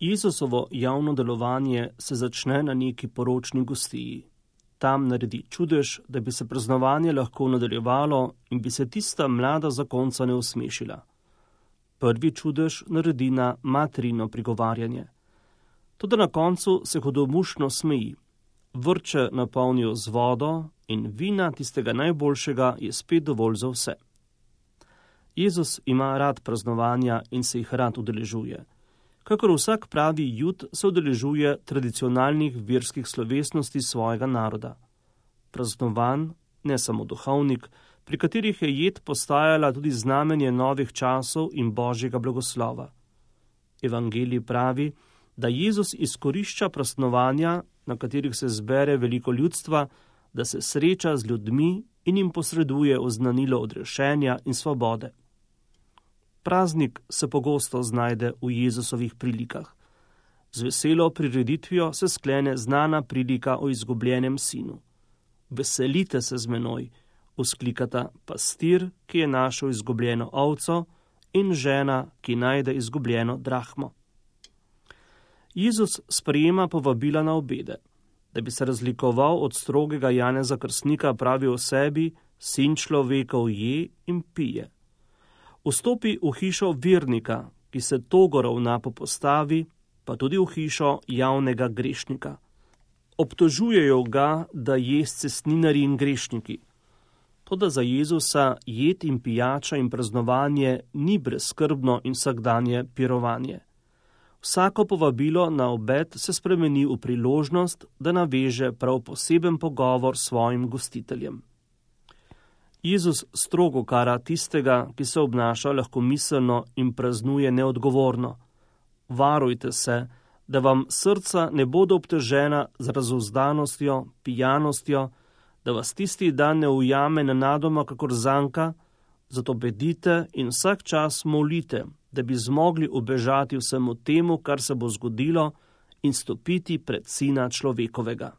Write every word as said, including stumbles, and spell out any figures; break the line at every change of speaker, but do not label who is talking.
Jezusovo javno delovanje se začne na neki poročni gostiji. Tam naredi čudež, da bi se praznovanje lahko nadaljevalo in bi se tista mlada zakonca ne usmešila. Prvi čudež naredi na materino prigovarjanje. Toda na koncu se hudomušno smeji. Vrče napolnijo z vodo in vina tistega najboljšega je spet dovolj za vse. Jezus ima rad praznovanja in se jih rad udeležuje. Kakor vsak pravi Jud se udeležuje tradicionalnih verskih slovesnosti svojega naroda. Praznovan, ne samo duhovnik, pri katerih je jed postajala tudi znamenje novih časov in božjega blagoslova. Evangelij pravi, da Jezus izkorišča praznovanja, na katerih se zbere veliko ljudstva, da se sreča z ljudmi in jim posreduje oznanilo odrešenja in svobode. Praznik se pogosto znajde v Jezusovih prilikah. Z veselo prireditvijo se sklene znana prilika o izgubljenem sinu. Veselite se z menoj, vzklikata pastir, ki je našel izgubljeno ovco, in žena, ki najde izgubljeno drahmo. Jezus sprejema povabila na obede. Da bi se razlikoval od strogega Janeza Krstnika, pravi o sebi: sin človekov je in pije. Vstopi v hišo vernika, ki se togo ravna po postavi, pa tudi v hišo javnega grešnika. Obtožujejo ga, da je s cestninarji in grešniki. Toda za Jezusa jed in pijača in praznovanje ni brezskrbno in vsakdanje pirovanje. Vsako povabilo na obed se spremeni v priložnost, da naveže prav poseben pogovor s svojim gostiteljem. Jezus strogo kara tistega, ki se obnaša lahkomiselno in praznuje neodgovorno. Varujte se, da vam srca ne bodo obtežena z razuzdanostjo, pijanostjo, da vas tisti dan ne ujame nenadoma kakor zanka, zato bedite in vsak čas molite, da bi zmogli ubežati vsemu temu, kar se bo zgodilo, in stopiti pred Sina človekovega.